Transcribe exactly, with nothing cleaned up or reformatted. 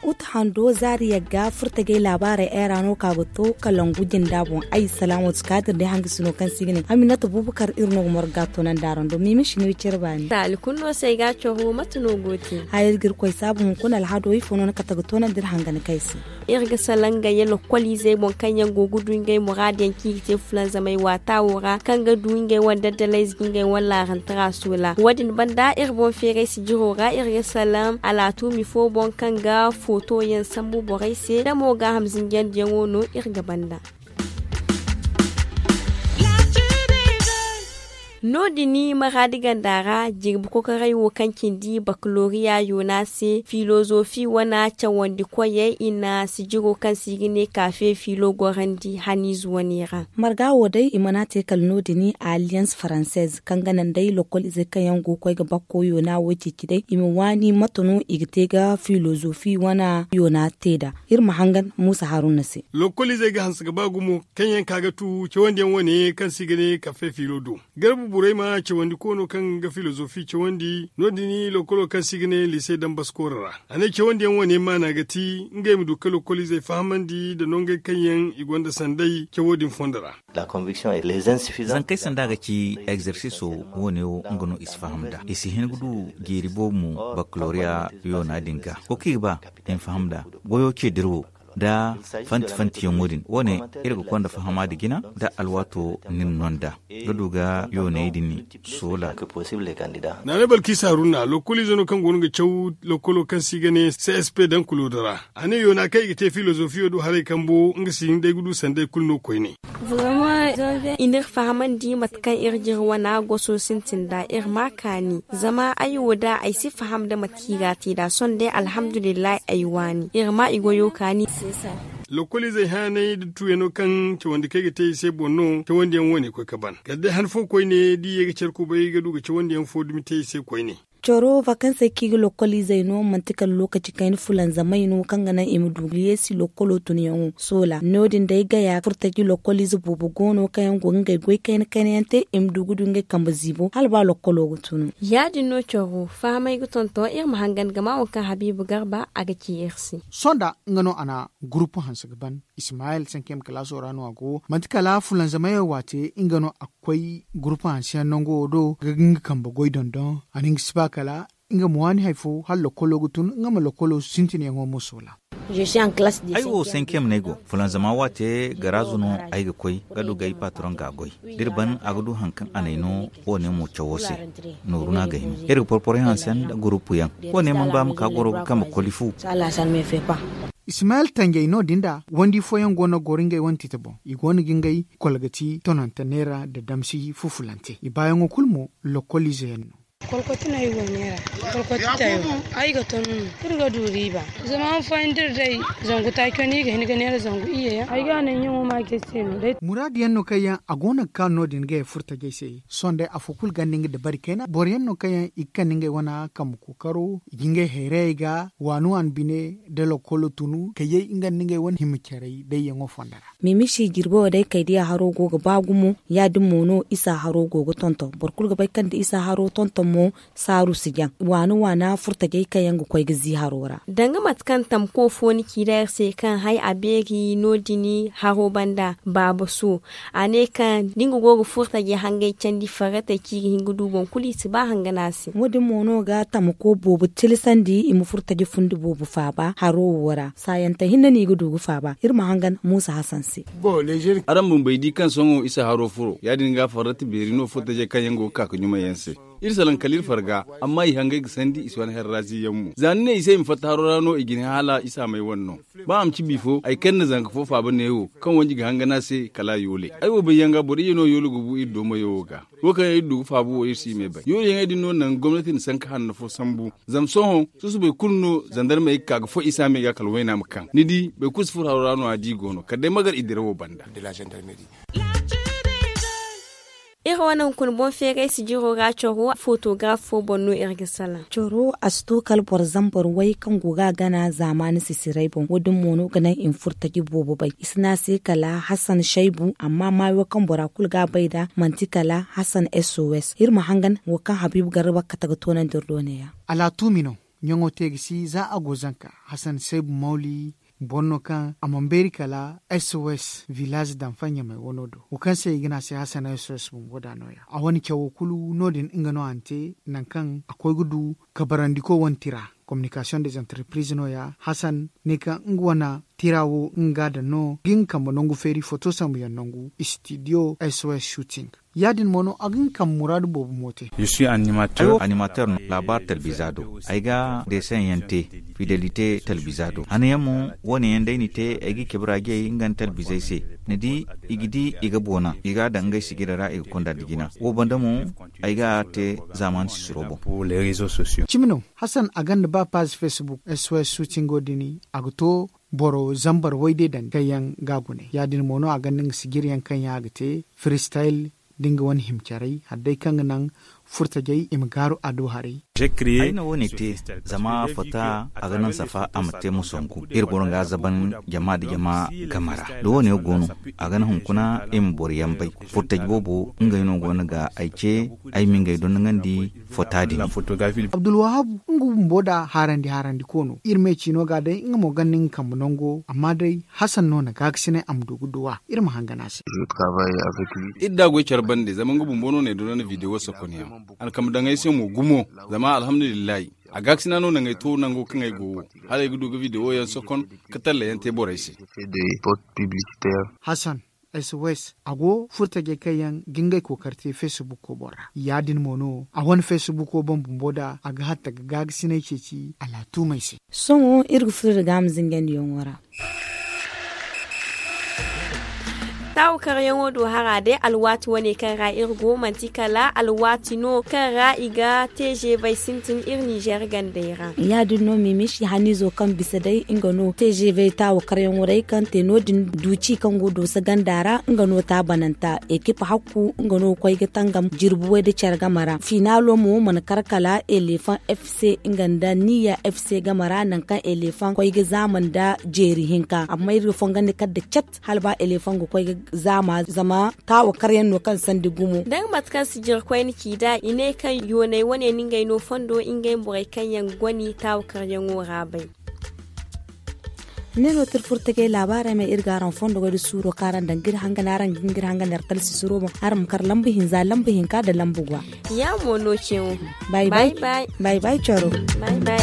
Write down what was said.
Uta hando zaari yagga furtajey laabaarey eera no ka ga to kalangu jinda boŋ. Ay salaamu ti kaadir day hangasino kaŋ se i ga ne aminata bubakar iri no ga morga toonandi araŋ do mimi shiniri care baani. Taali kulu no se ay ga a coro mate no go te? Haya iri ga iri koy saabu hunkuna alhado ifo no ni kate ga toonandi iri hangani kay se? Iri ga salaŋ ngey lokkol izey boŋ kaŋ yaŋ go ga du ngey muraadu yaŋ kaŋ i ga te fulanzamay waata wo ra kaŋ ga du ngey wane daddalayze ga ngey wane laarantara soola wo- din banda iri boŋ feeray sijiro ra iri ga salaŋ alaatuumi fo boŋ kaŋ ga footo yaŋ sambu borey se da mo gaaham zinjandiyaŋo no iri ga banda. No- din maraadi ganda ra jirbi kokoray wo kaŋ cindi bakaloriya yoona se filozofi wane cawandi koyey i na sijiro kaŋ se i ga ne kaafe filo gorandi haniize wane ra. Marga wo day i mana te kala no- din alliance française kaŋ ga naŋ day lokkol izey kaŋ yaŋ go ga koy ga bakko yoona wo ceeci day i ma waani mate no i ga te ga filozofi wane yoona te nd'a. Iri ma hangan muusa haruna se. Lokkol izey ga hanse ga ba gumo kaŋ yaŋ ka ga tu cawandi yaŋ wane kaŋ se i ga ne kaafe filo do. Garba burayma cawandi koono kaŋ ga filozofi cawandi no- din lokkolo kaŋ se i ga ne lise dambaskooro ra. A ne cawandi yaŋ wane maana ga ti ngey ma du ga lokkol izey fahamandi nda nongey kaŋ yaŋ i gonda sanday cawo din fondo ra. Zankey sanda ga ci egzersiso wo- ne wo nga no i si faham nd'a i si hin ga du jeeri boobo mo bakaloriya yoona din ga wo kaŋ i ga ba i ma faham nd'a goyo ce dira wo nda fanti fanti yaŋo din wo- ne iri ga konda fahama nda jina nda alwaato ni na no nd'a ga du ga yooney din soola. Naanay balkiisa haruna lokkoliize no kaŋ go no ga caw lokkolo kaŋ se i ga ne csp daŋ kulodo ra. A ne yoona kaŋ i ga te filozofiyo do haray kambo nga si hin day ga du sanday kulu no koyne. I n'iri fahamandi mate kaŋ iri jire wana goso sintin nd'a iri ma a kaani zama ay wo da ay si faham nda mate kaŋ i ga a te nd'a sohõ day alhamdulillahi ay waani iri ma i goyo kaani. Lokkoliizey haanay nda tuuyano kaŋ cawandi kaŋ ay ga te i se boŋ no cawandiyaŋ wo- ne koy ga ban kala day han fo koyne da i ye ga care kubay ga du ga cawandiyaŋ fo dumi te i se koyne. Coro vakansey kaŋ i ga lokkoliizey no manti kala lookaci kayna fulanzamay no kaŋ ga naŋ i ma du ga yeesi lokkolo tunyaŋo soola no- din day gaya furtaji lokkoliize boobo go no kaŋ yaŋ go ga ngey goy kayna kayna yaŋ te i ma du ga du ngey kambe ziibo hala ba lokkolo ga tunu. Ya- din no coro fahamay ga tonton iri ma hangan ga ma waŋ kaŋ habiibu garba a ga ci iri se. Sonda nga no a na gurupu hanse ga ban ismayel sankiyam kalaaso ra no a go manti kala fulanzamayo waate nga no a ga koy gurupu hanse yaŋ nango wo do ga nga kambe goy dondon a na nga si ba kala nga ma waani hari fo hala lokkolo ga tun nga ma lokkolo sintinyaŋo mo soola. Ay wo sankiyam no ay go fulanzama waate garaazu no ay ga koy ga du ga ay patron ga a goy da iri ban a ga du hari kaŋ a n'ay no wo- ne mo cawo se. Nooru no a gay no iri ga porporo yaŋ hanse nda gurupu yaŋ wo- ne mana ba ma ka goro ga kambe koli fu. Ismayel tanjay no- din da wandi fooyaŋ go no ga goro ngey wane tite boŋ i go no ga ngey kolgati tonante neera nda damsi fufulante i baayaŋo kulu mo lokkoliize yaŋ no. Kolkoti no ay go neera. Kolkoti tayo ay ga ton no iri ga du riiba. Zama han fooyaŋ da iri day zangu taaco no i ga hin ga neera zangu iyye yaŋ ay ga a naŋ ɲaŋo ma ga ay se no day. Muraadu yaŋ no kaŋ yaŋ a go no ga kaanu no- din ga ye furtajey se sohõ day afo kulu ganda nga dabari kayna boro yaŋ no kaŋ yaŋ i ga kande ngey wane kambe kookaro i ga ngey hayrayey ga waani waani bine da lokkolo tunu kayyey nga nda ngey wane hima carey dayyaŋo fonda ra. Mimisi jirbo wo day kay diya haro go ga ba gumo ya- din mo no isa haro go ga tonton boro kulu ga bay kaŋ da isa haro tonton mo saaru si jaŋ waana waana furtajey kaŋ yaŋ ga koy ga zii haro ra. Danga mate kaŋ tamko fo ni ci da iri se kaŋ hay a beeri no- din haro banda baaba so a ne kaŋ da nga go ga furtajey hangey candi farratey kaŋ i ga hin ga du boŋ kulu i si ba hanga no a se. Wo- din mo no ga tamko boobo tilasandi i ma furtaje fundi boobo faaba haro wo ra saayante hinne no i ga du ga faaba iri ma hangan muusa hasan se. Araŋ bumbey di kaŋ sohõ isa haro furo ya- din ga farrati beeri no furtajey kaŋ yaŋ go ga ka ga ɲumay yaŋ se. Iri salaŋ kala iri farga amma i hangey ga sandi i si wane herrazi yaŋ mo za ni ne i se i ma fatta haro ra no i ga ne hala isa may wane no. Ba a ma ci bifo ay kaŋ na zanka fo faaba neewo kaŋ wanji ga hanga no a se kala a yoole ay wo bay yaŋ ga boro iyye no yoolo ga bu iri doomayo wo ga. Wo kaŋ yaŋ iri du ga faabu wo iri si i me bay yoolo yaŋey din no naŋ gomnati na sanka hanno fo sambu. Zama sohõ susubay kulu no zandarmey ga ka ga fo isa me ga kala wayna ma kaŋ ni di boro kulu si furo haro ra no a di i go no kala day magar i dirawo banda. Iri wane hunkuna boŋ feeray sijiro ra coro fotograf fo boŋ no iri ga salaŋ. Coro a si to kala boro zambar way kaŋ go ga a gana zaamaani sisiray boŋ wo- din mo no ga naŋ i ma furo taji boobo bay. I si ne a se kala hasan shaybu amma maayo kaŋ bora kulu ga a bay nd'a manti kala hasan sos. Iri ma hangan wo kaŋ habiibu garba kate ga toonandi iri do neeya. Alaatuumi no ɲaŋo te ga si za a go zanka hasan shaybu mawli boro no kaŋ a mana beeri kala sos village danfa ɲamay wano do wo kaŋ se i ga ne a se hasan sos bumbo da nooya a wane cawo kulu no- din nga no a na te nangu kaŋ a koy ga du kabarandiko wane tira communication des entreprises no- ya hasan ne kaŋ nga wane tira wo nga ga a daŋ no ga nga kambe nangu feeri foto sambu yaŋ nangu studio sos shooting ya- din mo no a ga nga kambe muraadu boobo mo te. Ay wo animateur no laabaari talbiza do. Ay ga deeseŋ yaŋ te fidelite talbiza do hana yaŋ mo wo- ne yaŋ day ni te ay ga cabe ra jay nga nda talbizey se. Ni di i ga di i ga boona i ga a daŋ ngey sijira ra i ga konda nda jina wo banda mo ay ga a te zaamaani sisiro boŋ. Cimi no hasan a gonda ba paazi facebook sos suutingo din a ga to boro zambar wayde daŋ kaŋ yaŋ ga a gune ya- din mo no a gonda nga sijira yaŋ kaŋ yaŋ a ga te freestyle da nga wane hima caray hala day kaŋ ga naŋ furtajey i ma gaaru a do haray. Ay na wo- ne te zama fota a ga naŋ safa a ma te ma songu iri goro ga a zaban jama nda jama game ra da wo- ne go no a ga naŋ hunkuna i ma boro yaŋ bay. Furtaji boobo ngey no go no ga ay ce ay ma ngey dondoŋandi fota din. Abdulwahabu nga bumbo nda haarandi haarandi ko no iri me ciino ga day nga mo gonda nga kambe nango amma day hasan no na gaakasinay a ma du ga duw'a iri ma hangan a se. Iri da a goy care bande zama nga bumbo no na ay donandi video sokon yaŋ a na kambe daŋ ay se mo gumo. Zama alhamdulillahi a gaakasina no naŋ ay to nango kaŋ ay go wo hala ay ga du ga video yaŋ sokon ka talla yaŋ te borey se. Hasan sos a go furtajey kaŋ yaŋ ga ngey kookari te facebook ko boŋ ra ya- din mo no a wane facebook wo boŋ bumbo nda a ga hatta ga gaagasinay ceeci alaatuumey se. Sohõ iri ga furo nda gaama zingandiyaŋo ra. Taawu karyaŋo do hara day alwaati wane kaŋ ra iri go manti kala alwaati no kaŋ ra i ga te zeebay sintin iri ninzeer gandey ra. Ya- din no mimishi haniizo kaŋ bisa day nga no te zeebay taawu karyaŋo day kaŋ te no- din duuci kaŋ go dooso ganda ra nga no taabananta ekip hakku nga no ga koy ga tangam jirbi way nda care game ra finaalo mo mana kar kala eleefaŋ f c nga nda niya f c game ra nangu kaŋ eleefaŋ koy ga zaama nda jeeri hinka amma iri ga fongandi kala nda cat hala ba eleefaŋ ga koy ga zaama zama taawo karyaŋ no kaŋ sandi gumo. Da nga mate kaŋ si jire koyne ci nd'a i ne kaŋ yoonay wane no ngey no fondo ngey borey kaŋ yaŋ ga goni taawo karyaŋo ra bay. Ne no tirfurtagey laabaarey ma iri ga araŋ fondo goy da suuro kaŋ araŋ daŋ ga iri hangan araŋ ga hin ga iri hangan iri talsi suro boŋ araŋ ma kar lambu hinza lambu hinka nda lambu gwa. Ya mo no cewo. Bay bay. Bay bay coro. Bay bay.